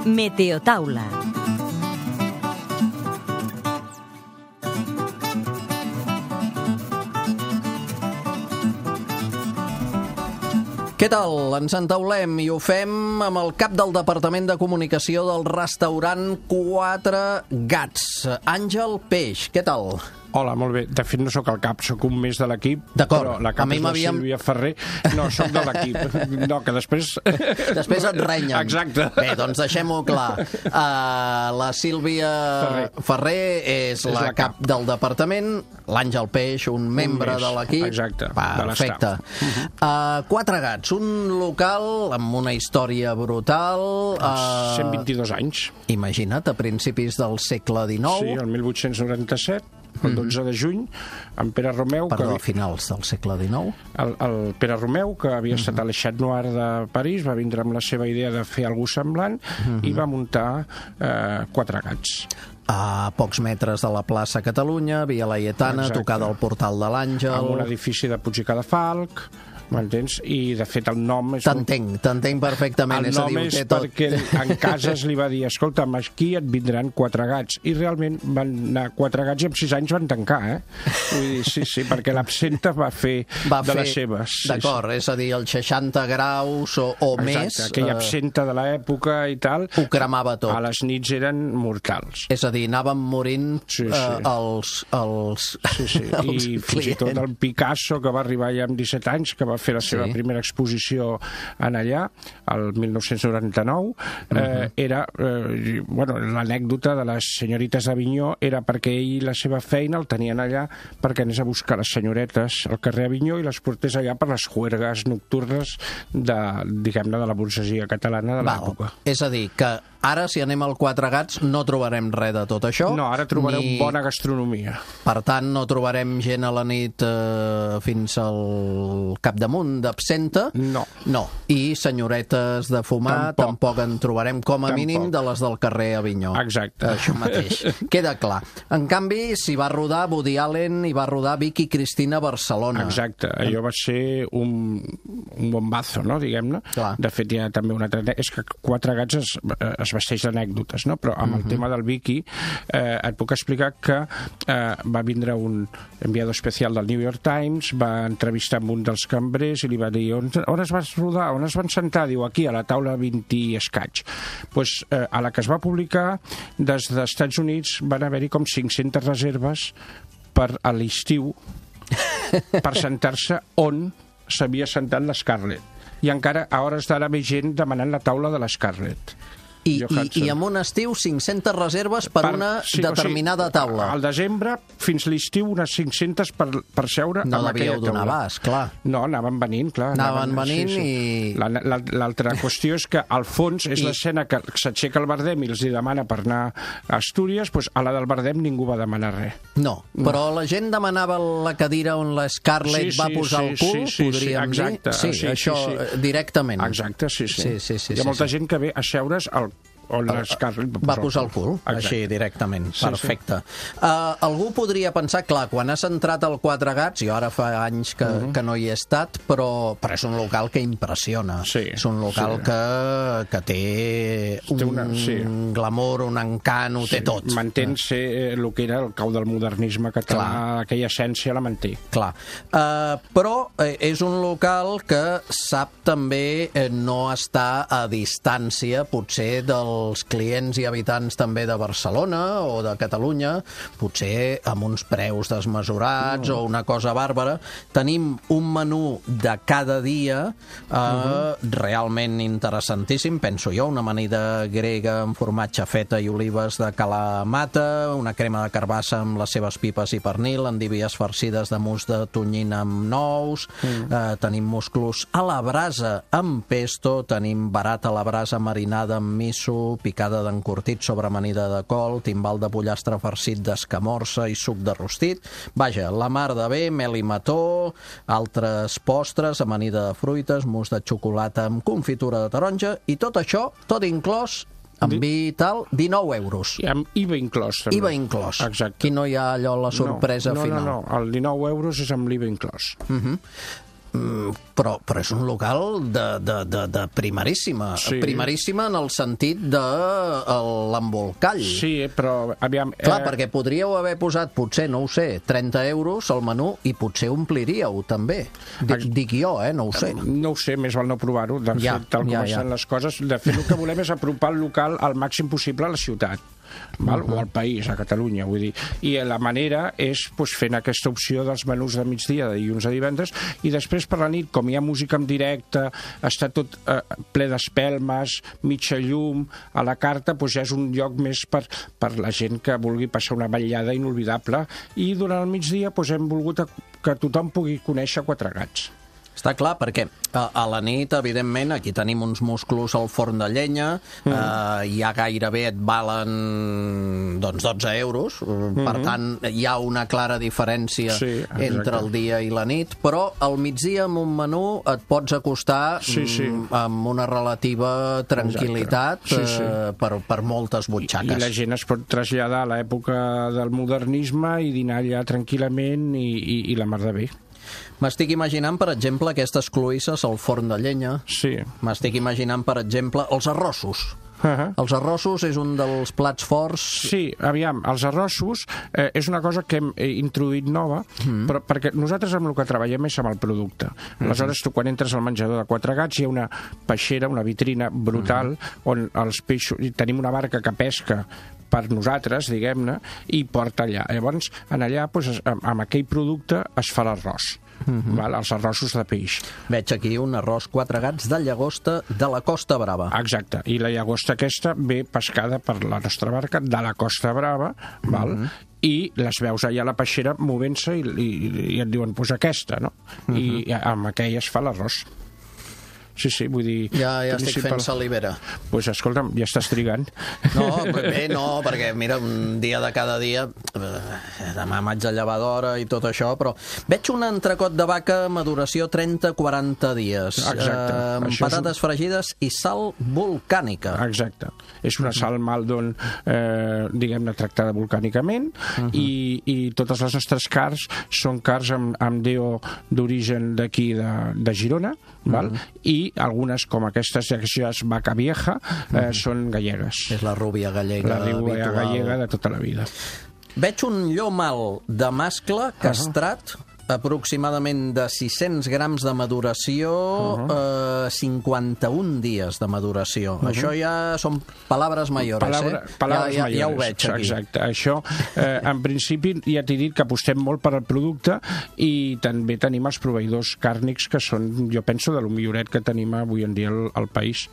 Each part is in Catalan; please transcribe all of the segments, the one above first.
Meteotaula. Què tal? Ens entaulem i ho fem amb el cap del Departament de Comunicació del restaurant Quatre Gats, Àngel Peix. Què tal? Hola, molt bé. De fet, no sóc el cap, sóc un més de l'equip. D'acord. Però la cap és la Sílvia Ferrer. No, sóc de l'equip. No, que després... Després et renyen. Exacte. Bé, doncs deixem-ho clar. La Sílvia Ferrer és la cap del departament, l'Àngel Peix, un membre de l'equip. Exacte. Perfecte. Quatre Gats, un local amb una història brutal. 122 anys. Imagina't, a principis del segle XIX. Sí, el 1897. El 12 de juny, en Pere Romeu... Perdó, a finals del segle XIX. El Pere Romeu, que havia estat a l'Eixat Noir de París, va vindre amb la seva idea de fer alguna semblant i va muntar Quatre Gats. A pocs metres de la plaça Catalunya, Via Laietana, tocada al portal de l'Àngel... Amb un edifici de Puig i Cadafalch... M'entens? I, de fet, el nom és... T'entenc perfectament. El nom és perquè en Casas li va dir, escolta'm, aquí et vindran Quatre Gats. I realment van anar Quatre Gats i en 6 anys van tancar, Vull dir, sí, perquè l'absenta va fer de les seves. D'acord, és a dir, els 60 graus o més... Exacte, aquella absenta de l'època i tal... Ho cremava tot. A les nits eren mortals. És a dir, anaven morint els I fins i tot el Picasso, que va arribar ja amb 17 anys, que va fer la seva primera exposició en allà, el 1999, era, l'anècdota de les senyorites d'Avinyó era perquè ell i la seva feina el tenien allà perquè anés a buscar les senyoretes al carrer Avinyó i les portés allà per les juergues nocturnes diguem-ne, de la burgesia catalana de l'època. És a dir, que ara, si anem al Quatre Gats, no trobarem res de tot això. No, ara trobareu bona gastronomia. Per tant, no trobarem gent a la nit fins al capdamunt d'absenta. No. I senyoretes de fumar tampoc en trobarem, com a mínim de les del carrer Avinyó. Exacte. Això mateix. Queda clar. En canvi, s'hi va rodar Woody Allen i va rodar Vicky Cristina a Barcelona. Exacte. Allò va ser un bombazo, no?, diguem-ne. De fet, hi ha també una altra... És que Quatre Gats es vesteix d'anècdotes, no? Però amb el tema del Vicky et puc explicar que va vindre un enviado especial del New York Times, va entrevistar amb un dels cambrers i li va dir, on es vas rodar, on es van sentar? Diu, aquí, a la taula 20 i escaig. Pues, a la que es va publicar, des dels Estats Units van haver-hi com 500 reserves per a l'estiu per sentar-se on s'havia sentat l'Scarlett. I encara a hores d'ara ve gent demanant la taula de l'Scarlett. I en un estiu 500 reserves per una determinada taula. Al desembre, fins l'estiu, unes 500 per seure amb aquella taula. No devíeu donar abast, clar. No, anaven venint, clar. Anaven venint i... L'altra qüestió és que, al fons, és l'escena que s'aixeca el Bardem i els demana per anar a Astúries, doncs a la del Bardem ningú va demanar res. No, però la gent demanava la cadira on la Scarlett va posar el cul, podríem dir. Sí, això directament. Exacte, sí. Hi ha molta gent que ve a seure's on l'Scarlett va posar el cul, així directament. Perfecte. Algú podria pensar, clar, quan has entrat al Quatre Gats, jo ara fa anys que no hi he estat, però és un local que impressiona. És un local que té un glamour, un encant, ho té tot. Mantén ser el que era el cau del modernisme català, aquella essència la manté. Clar. Però és un local que sap també no estar a distància, potser els clients i habitants també de Barcelona o de Catalunya, potser amb uns preus desmesurats o una cosa bàrbara. Tenim un menú de cada dia realment interessantíssim, penso jo, una amanida grega amb formatge feta i olives de Kalamata, una crema de carbassa amb les seves pipes i pernil, endívies farcides de mus de tonyina amb nous, tenim musclos a la brasa amb pesto, tenim barat a la brasa marinada amb miso, picada d'encurtit sobre amanida de col, timbal de pollastre farcit d'escamorça i suc de rostit. Vaja, la mar de bé, mel i mató, altres postres, amanida de fruites, mousse de xocolata amb confitura de taronja, i tot això, tot inclòs, amb vi i tal, 19 euros. I amb IVA inclòs, també. IVA inclòs. Exacte. Aquí no hi ha allò, la sorpresa final. No, el 19 euros és amb l'IVA inclòs. Però és un local de primeríssima. Sí. Primeríssima en el sentit de l'embolcall. Sí, però aviam... Clar, perquè podríeu haver posat, potser, no ho sé, 30 euros al menú i potser ompliríeu, també. Dic jo, no ho sé. No ho sé, més val no provar-ho. De fet, tal com estan les coses, de fet, el que volem és apropar el local al màxim possible a la ciutat. Val? O al país, a Catalunya, vull dir. I la manera és fent aquesta opció dels menús de migdia, de dilluns a divendres, i després per la nit, com hi ha música en directe, està tot ple d'espelmes, mitja llum, a la carta, ja és un lloc més per la gent que vulgui passar una vetllada inolvidable, i durant el migdia hem volgut que tothom pugui conèixer Quatre Gats. Està clar, perquè a la nit, evidentment, aquí tenim uns musclos al forn de llenya, ja gairebé et valen 12 euros, per tant, hi ha una clara diferència entre el dia i la nit, però al migdia amb un menú et pots acostar amb una relativa tranquil·litat per moltes butxaques. I la gent es pot traslladar a l'època del modernisme i dinar allà tranquil·lament i la mar de bé. M'estic imaginant, per exemple, aquestes cloïsses al forn de llenya. Sí. M'estic imaginant, per exemple, els arrossos. Els arrossos és un dels plats forts... Sí, aviam, els arrossos és una cosa que hem introduït nova, però perquè nosaltres amb el que treballem és amb el producte. Aleshores, tu quan entres al menjador de Quatre Gats hi ha una peixera, una vitrina brutal, on els peixos... Tenim una barca que pesca per nosaltres, diguem-ne, i porta allà. Llavors, allà, amb aquell producte es fa l'arròs. Els arrossos de peix. Veig aquí un arròs Quatre Gats de llagosta de la Costa Brava. Exacte, i la llagosta aquesta ve pescada per la nostra barca de la Costa Brava, i les veus allà a la peixera movent-se i et diuen, aquesta, no? I amb aquell es fa l'arròs. Sí, vull dir... Ja estic fent salivera. Doncs escolta'm, ja estàs trigant. No, perquè mira, un dia de cada dia, demà m'haig de llevar d'hora i tot això, però veig un entrecot de vaca maduració 30-40 dies. Exacte. Amb patates fregides i sal volcànica. Exacte. És una sal Maldon, diguem-ne, tractada volcànicament, i totes les nostres carns són carns amb DO d'origen d'aquí, de Girona, i algunes, com aquestes llàcies Vaca Vieja, són gallegues. És la rúbia gallega. La rúbia gallega de tota la vida. Veig un llomal de mascle castrat, aproximadament de 600 grams de maduració, 51 dies de maduració. Això ja són paraules mayores, Paraules mayores, ja ho veig aquí. Exacte. Això, en principi, ja t'he dit que apostem molt per al producte i també tenim els proveïdors càrnics que són, jo penso, de lo milloret que tenim avui en dia al país.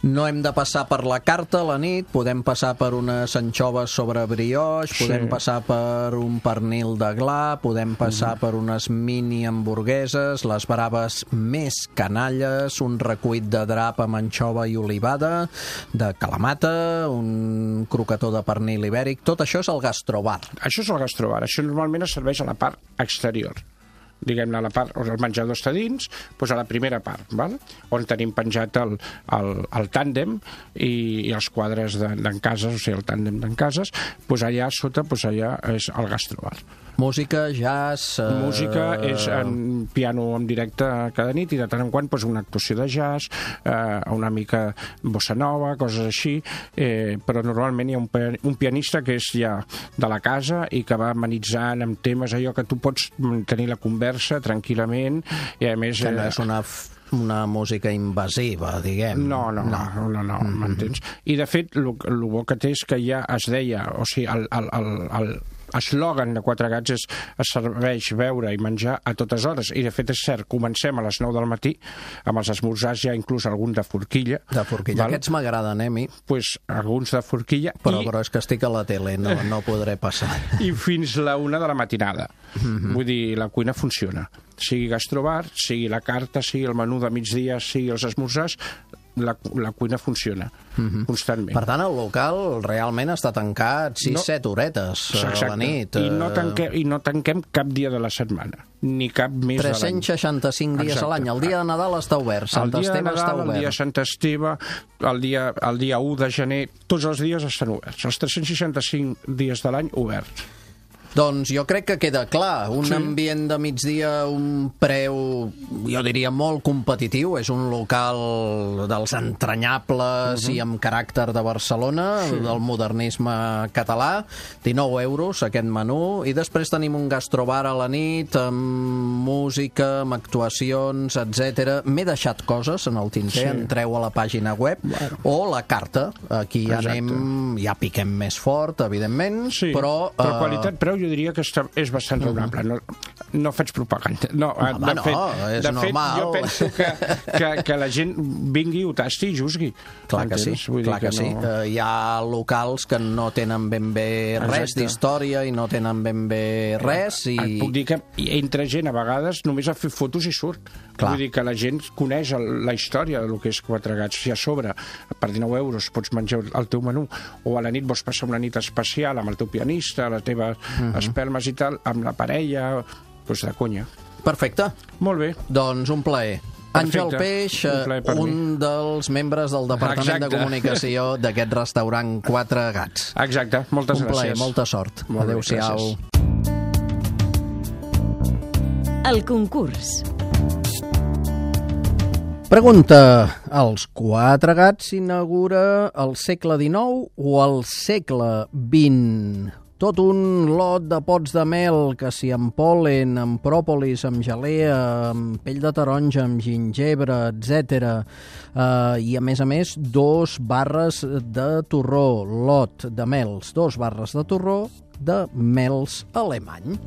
No hem de passar per la carta a la nit, podem passar per unes anxoves sobre brioix, podem passar per un pernil de gla, podem passar per unes mini hamburgueses, les braves més canalles, un recuit de drap amb anxova i olivada, de calamata, un crocató de pernil ibèric, tot això és el gastrobar. Això és el gastrobar, això normalment es serveix a la part exterior. Diguem-ne, a la part on el menjador està dins, doncs a la primera part, on tenim penjat el tàndem i els quadres d'en cases, o sigui, el tàndem d'en cases, doncs allà sota, allà és el gastrobar. Música, jazz... Música és en piano en directe cada nit i de tant en quant una actuació de jazz, una mica bossa nova, coses així, però normalment hi ha un pianista que és ja de la casa i que va amenitzant amb temes allò que tu pots tenir la conversa tranquil·lament i a més... Que no és una música invasiva, diguem. No, m'entens? I de fet, el bo que té és que ja es deia, o sigui, eslògan de Quatre Gats és es serveix beure i menjar a totes hores, i de fet és cert, comencem a les 9 del matí amb els esmorzars, ja inclús algun de forquilla. De forquilla, aquests m'agraden, a mi. Doncs alguns de forquilla. Però és que estic a la tele, no podré passar. I fins la 1 de la matinada. Vull dir, la cuina funciona. Sigui gastrobar, sigui la carta, sigui el menú de migdia, sigui els esmorzars, la cuina funciona constantment. Per tant, el local realment està tancat 6-7 horetes a la nit. I no tanquem cap dia de la setmana, ni cap mes de l'any. 365 dies a l'any. El dia de Nadal està obert, Sant Esteve està obert. El dia de Sant Esteve, el dia 1 de gener, tots els dies estan oberts. Els 365 dies de l'any oberts. Doncs jo crec que queda clar. Un ambient de migdia, un preu, jo diria, molt competitiu. És un local dels entranyables i amb caràcter de Barcelona, del modernisme català. 19 euros aquest menú. I després tenim un gastrobar a la nit, amb música, amb actuacions, etc. M'he deixat coses en el tinter. Entreu a la pàgina web o la carta. Aquí ja anem, ja piquem més fort, evidentment, però qualitat-preu jo diria que és bastant raonable. No faig propaganda. No, és de fet, normal. jo penso que la gent vingui, ho tasti i juzgui. Clar que sí, clar que sí. Hi ha locals que no tenen ben bé res d'història i no tenen ben bé res. Et puc dir que entra gent a vegades només a fer fotos i surt. Vull dir que la gent coneix la història del que és Quatre Gats. Si a sobre, per 19 euros, pots menjar el teu menú, o a la nit vols passar una nit especial amb el teu pianista, les teves espelmes i tal, amb la parella, doncs de conya. Perfecte. Molt bé. Doncs un plaer. Àngel Peix, un dels membres del Departament de Comunicació d'aquest restaurant Quatre Gats. Exacte, moltes gràcies. Un plaer, molta sort. Adéu-siau. El concurs. Pregunta: els Quatre Gats s'inaugura al segle XIX o al segle XX? Tot un lot de pots de mel, que si amb pol·len, amb pròpolis, amb gelea, amb pell de taronja, amb gingebre, etc. I a més, 2 barres de torró, lot de mels, 2 barres de torró de mels alemany.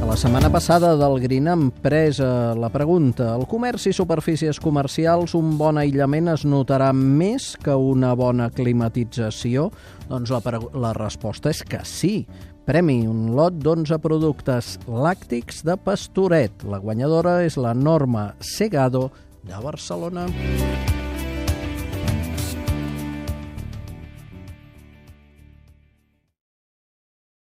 A la setmana passada del Green hem pres la pregunta: al comerç i superfícies comercials un bon aïllament es notarà més que una bona climatització? Doncs la resposta és que sí. Premi un lot d'11 productes làctics de Pastoret. La guanyadora és la Norma Segado de Barcelona.